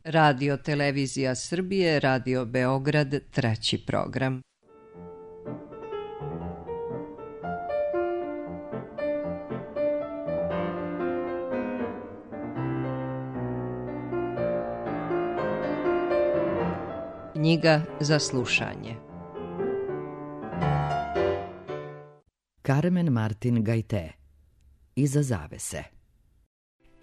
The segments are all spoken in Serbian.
Radio Televizija Srbije, Radio Beograd, 3. program. Knjiga za slušanje. Carmen Martin Gaité. Iza zavese.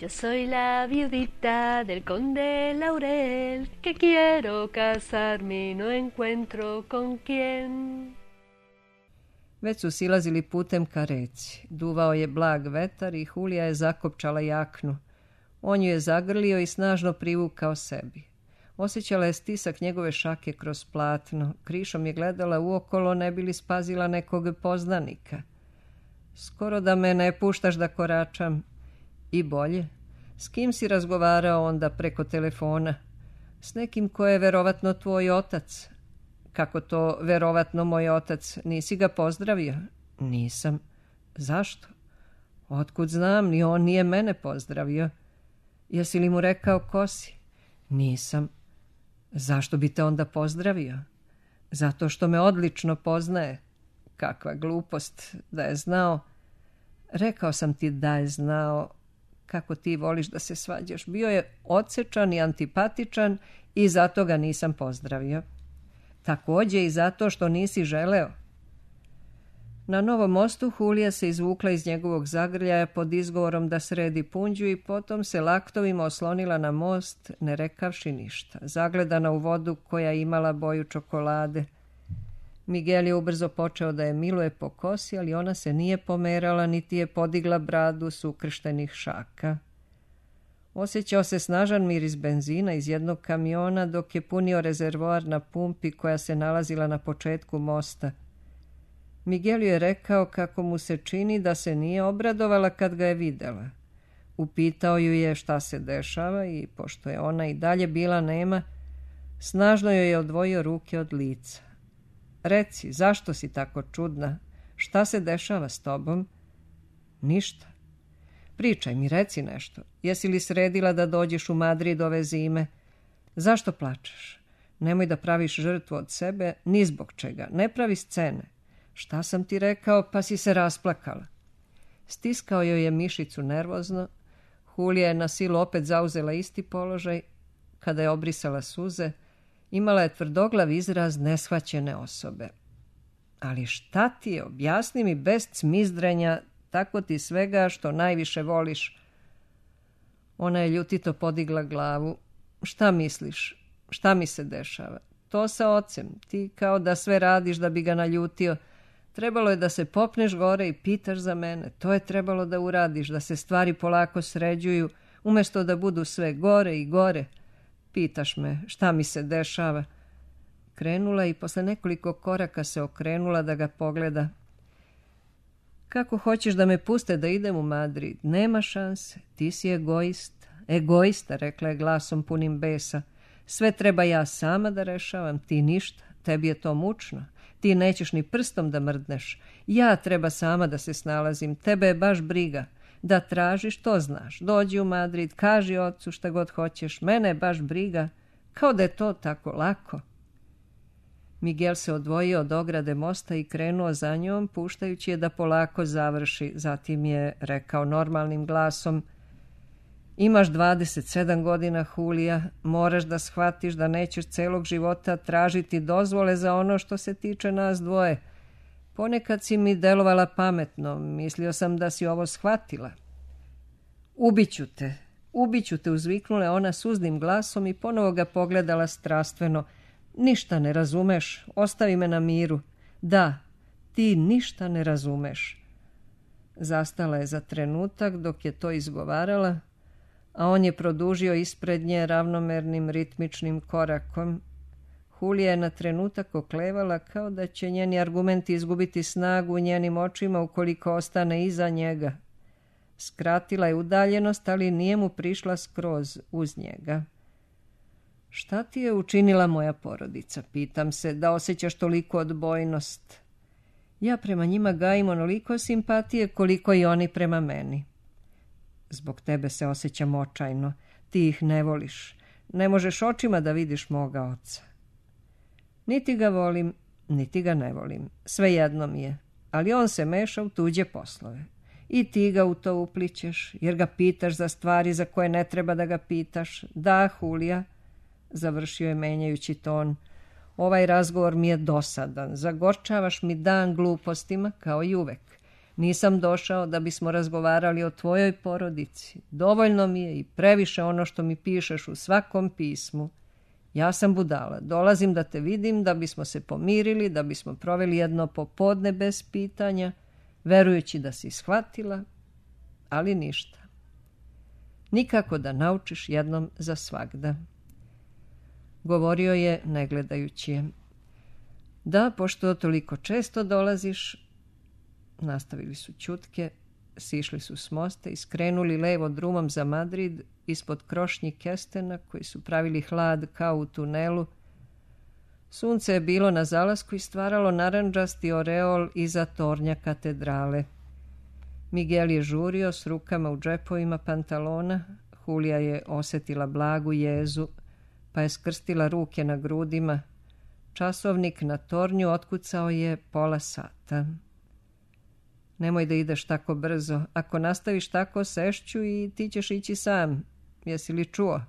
Yo soy la viudita del conde Laurel, que quiero casarme y no encuentro con quién. Već su silazili putem ka reci. Duvao je blag vetar i Hulija je zakopčala jaknu. On ju je zagrlio i snažno privukao sebi. Osjećala je stisak njegove šake kroz platno. Krišom je gledala uokolo, ne bi li spazila nekog poznanika. Skoro da me ne puštaš da koračam. I bolje. S kim si razgovarao onda preko telefona? S nekim ko je verovatno tvoj otac. Kako to verovatno moj otac? Nisi ga pozdravio? Nisam. Zašto? Otkud znam, ni on nije mene pozdravio. Jesi li mu rekao ko si? Nisam. Zašto bi te onda pozdravio? Zato što me odlično poznaje. Kakva glupost, da je znao. Rekao sam ti da je znao. Kako ti voliš da se svađaš. Bio je odsečan i antipatičan i zato ga nisam pozdravio. Također i zato što nisi želeo. Na Novom mostu Hulija se izvukla iz njegovog zagrljaja pod izgovorom da sredi punđu i potom se laktovima oslonila na most, ne rekavši ništa, zagledana u vodu koja je imala boju čokolade. Miguel je ubrzo počeo da je miluje po kosi, ali ona se nije pomerala, niti je podigla bradu s ukrštenih šaka. Osjećao se snažan miris benzina iz jednog kamiona dok je punio rezervoar na pumpi koja se nalazila na početku mosta. Miguel je rekao kako mu se čini da se nije obradovala kad ga je videla. Upitao ju je šta se dešava i, pošto je ona i dalje bila nema, snažno joj je odvojio ruke od lica. Reci, zašto si tako čudna? Šta se dešava s tobom? Ništa. Pričaj mi, reci nešto. Jesi li sredila da dođeš u Madrid ove zime? Zašto plačeš? Nemoj da praviš žrtvu od sebe, ni zbog čega. Ne pravi scene. Šta sam ti rekao, pa si se rasplakala? Stiskao joj je mišicu nervozno. Hulija je na silu opet zauzela isti položaj. Kada je obrisala suze, imala je tvrdoglav izraz neshvaćene osobe. Ali šta ti je, objasni mi bez cmizdrenja, tako ti svega što najviše voliš. Ona je ljutito podigla glavu. Šta misliš? Šta mi se dešava? To sa ocem. Ti kao da sve radiš da bi ga naljutio. Trebalo je da se popneš gore i pitaš za mene. To je trebalo da uradiš, da se stvari polako sređuju, umjesto da budu sve gore i gore. Pitaš me šta mi se dešava. Krenula i posle nekoliko koraka se okrenula da ga pogleda. Kako hoćeš da me puste da idem u Madrid? Nema šanse. Ti si egoist. Egoista, rekla je glasom punim besa. Sve treba ja sama da rešavam, ti ništa. Tebi je to mučno. Ti nećeš ni prstom da mrdneš. Ja treba sama da se snalazim. Tebe je baš briga. Da tražiš, to znaš. Dođi u Madrid, kaži ocu šta god hoćeš. Mene je baš briga. Kao da je to tako lako. Miguel se odvojio od ograde mosta i krenuo za njom, puštajući je da polako završi. Zatim je rekao normalnim glasom: Imaš 27 godina, Hulija. Moraš da shvatiš da nećeš celog života tražiti dozvole za ono što se tiče nas dvoje. Ponekad si mi delovala pametno. Mislio sam da si ovo shvatila. Ubiću te, uzviknula ona suznim glasom i ponovo ga pogledala strastveno. Ništa ne razumeš, ostavi me na miru. Da, ti ništa ne razumeš. Zastala je za trenutak dok je to izgovarala, a on je produžio ispred nje ravnomernim ritmičnim korakom. Hulija je na trenutak oklevala kao da će njeni argumenti izgubiti snagu u njenim očima ukoliko ostane iza njega. Skratila je udaljenost, ali nije mu prišla skroz uz njega. Šta ti je učinila moja porodica? Pitam se, da osjećaš toliko odbojnost. Ja prema njima gajim onoliko simpatije koliko i oni prema meni. Zbog tebe se osjećam očajno. Ti ih ne voliš. Ne možeš očima da vidiš moga oca. Niti ga volim, niti ga ne volim. Svejedno mi je. Ali on se meša u tuđe poslove. I ti ga u to uplićeš, jer ga pitaš za stvari za koje ne treba da ga pitaš. Da, Hulija, završio je menjajući ton, ovaj razgovor mi je dosadan. Zagorčavaš mi dan glupostima, kao i uvek. Nisam došao da bismo razgovarali o tvojoj porodici. Dovoljno mi je i previše ono što mi pišeš u svakom pismu. Ja sam budala. Dolazim da te vidim, da bismo se pomirili, da bismo proveli jedno popodne bez pitanja, verujući da si shvatila, ali ništa. Nikako da naučiš jednom za svagda. Govorio je, ne gledajući je. Da, pošto toliko često dolaziš. Nastavili su ćutke, sišli su s mosta i skrenuli levo drumom za Madrid ispod krošnji kestena koji su pravili hlad kao u tunelu. Sunce je bilo na zalasku i stvaralo narandžasti oreol iza tornja katedrale. Miguel je žurio s rukama u džepovima pantalona. Hulija je osjetila blagu jezu, pa je skrstila ruke na grudima. Časovnik na tornju otkucao je 1/2 sata. Nemoj da ideš tako brzo. Ako nastaviš tako, sešću i ti ćeš ići sam. Jesi li čuo?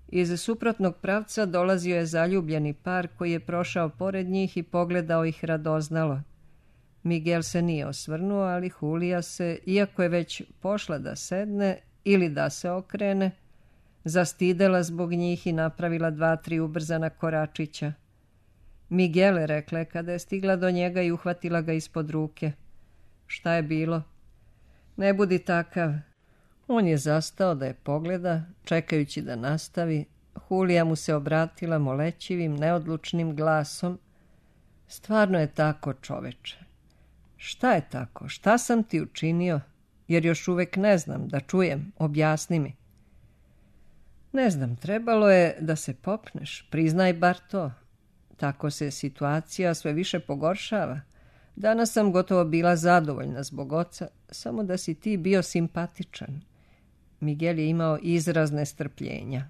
Iz suprotnog pravca dolazio je zaljubljeni par koji je prošao pored njih i pogledao ih radoznalo. Miguel se nije osvrnuo, ali Hulija se, iako je već pošla da sedne ili da se okrene, zastidela zbog njih i napravila 2-3 ubrzana koračića. Miguel, rekla je kada je stigla do njega i uhvatila ga ispod ruke. Šta je bilo? Ne budi takav. On je zastao da je pogleda, čekajući da nastavi. Hulija mu se obratila molećivim, neodlučnim glasom. Stvarno je tako, čoveče. Šta je tako? Šta sam ti učinio? Jer još uvek ne znam, da čujem, objasni mi. Ne znam, trebalo je da se popneš, priznaj bar to. Tako se situacija sve više pogoršava. Danas sam gotovo bila zadovoljna zbog oca, samo da si ti bio simpatičan. Miguel je imao izraz nestrpljenja.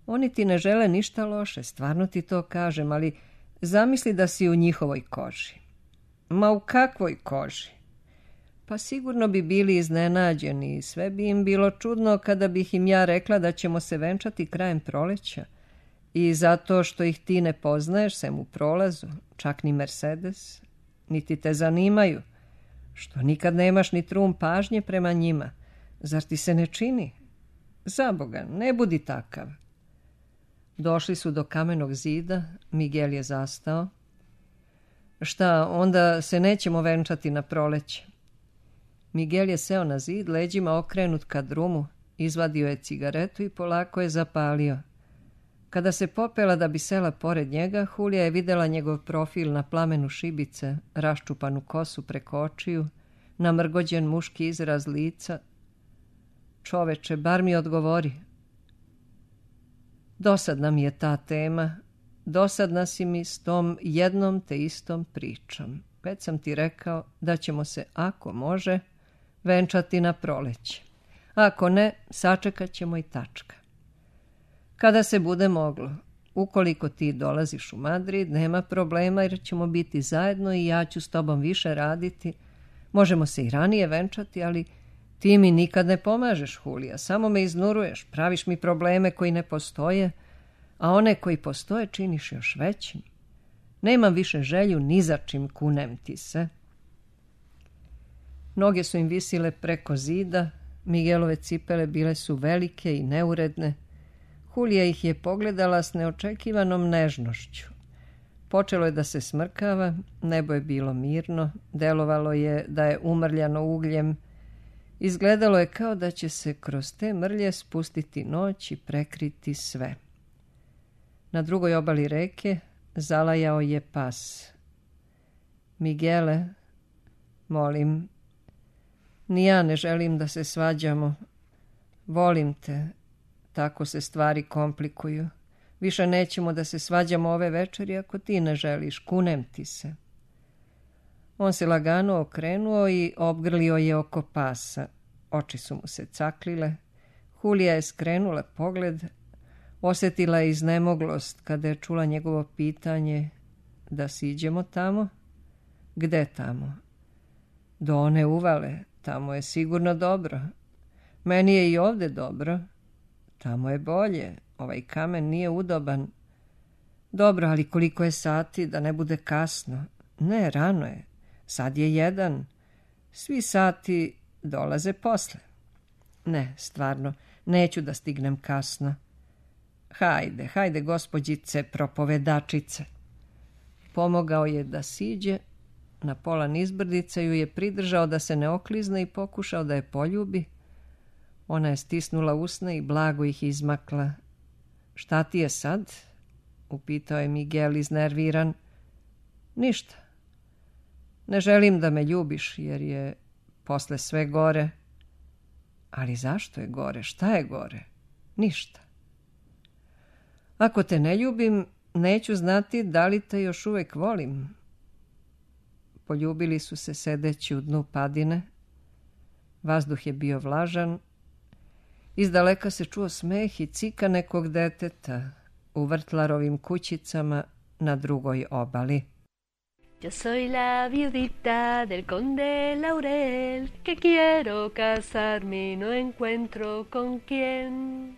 Oni ti ne žele ništa loše, stvarno ti to kažem, ali zamisli da si u njihovoj koži. Ma u kakvoj koži? Pa sigurno bi bili iznenađeni i sve bi im bilo čudno kada bih im ja rekla da ćemo se venčati krajem proleća. I zato što ih ti ne poznaješ sem u prolazu, čak ni Mercedes, niti te zanimaju, što nikad nemaš ni trun pažnje prema njima. Zar ti se ne čini? Zaboga, ne budi takav. Došli su do kamenog zida, Miguel je zastao. Šta, onda se nećemo venčati na proleće? Miguel je seo na zid, leđima okrenut ka drumu, izvadio je cigaretu i polako je zapalio. Kada se popela da bi sela pored njega, Hulija je videla njegov profil na plamenu šibice, raščupanu kosu preko očiju, namrgođen muški izraz lica. Čoveče, bar mi odgovori. Dosadna mi je ta tema, dosadna si mi s tom jednom te istom pričom. Već sam ti rekao da ćemo se, ako može, venčati na proleće. Ako ne, sačekat ćemo i tačka. Kada se bude moglo, ukoliko ti dolaziš u Madrid, nema problema jer ćemo biti zajedno i ja ću s tobom više raditi. Možemo se i ranije venčati, ali ti mi nikad ne pomažeš, Hulija, samo me iznuruješ, praviš mi probleme koji ne postoje, a one koji postoje činiš još većim. Nemam više želju ni za čim, kunem ti se. Noge su im visile preko zida, Miguelove cipele bile su velike i neuredne. Hulija ih je pogledala s neočekivanom nežnošću. Počelo je da se smrkava, nebo je bilo mirno, delovalo je da je umrljano ugljem. Izgledalo je kao da će se kroz te mrlje spustiti noć i prekriti sve. Na drugoj obali reke zalajao je pas. Miguele, molim, ni ja ne želim da se svađamo. Volim te, tako se stvari komplikuju. Više nećemo da se svađamo ove večeri ako ti ne želiš, kunem ti se. On se lagano okrenuo i obgrlio je oko pasa. Oči su mu se caklile. Hulija je skrenula pogled, Osjetila je iznemoglost kada je čula njegovo pitanje da siđemo tamo. Gde tamo? Do one uvale, tamo je sigurno dobro. Meni je i ovde dobro. Tamo je bolje, ovaj kamen nije udoban. Dobro, ali koliko je sati, da ne bude kasno? Ne, rano je. Sad je 1. Svi sati dolaze posle. Ne, stvarno, neću da stignem kasno. Hajde, gospođice propovedačice. Pomogao je da siđe, na pola nizbrdica ju je pridržao da se ne oklizne i pokušao da je poljubi. Ona je stisnula usne i blago ih izmakla. Šta ti je sad? Upitao je Miguel iznerviran. Ništa. Ne želim da me ljubiš jer je posle sve gore. Ali zašto je gore? Šta je gore? Ništa. Ako te ne ljubim, neću znati da li te još uvek volim. Poljubili su se sedeći u dnu padine. Vazduh je bio vlažan. Izdaleka se čuo smeh i cika nekog deteta u vrtlarovim kućicama na drugoj obali. Yo soy la viudita del conde Laurel, que quiero casarme y no encuentro con quién.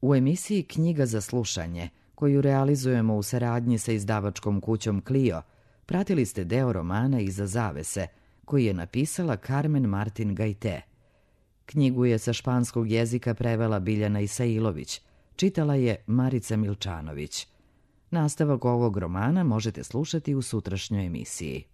U emisiji Knjiga za slušanje, koju realizujemo u saradnji sa izdavačkom kućom Clio, pratili ste deo romana Iza zavese, koji je napisala Carmen Martin Gajte. Knjigu je sa španskog jezika prevela Biljana Isailović, čitala je Marica Milčanović. Nastavak ovog romana možete slušati u sutrašnjoj emisiji.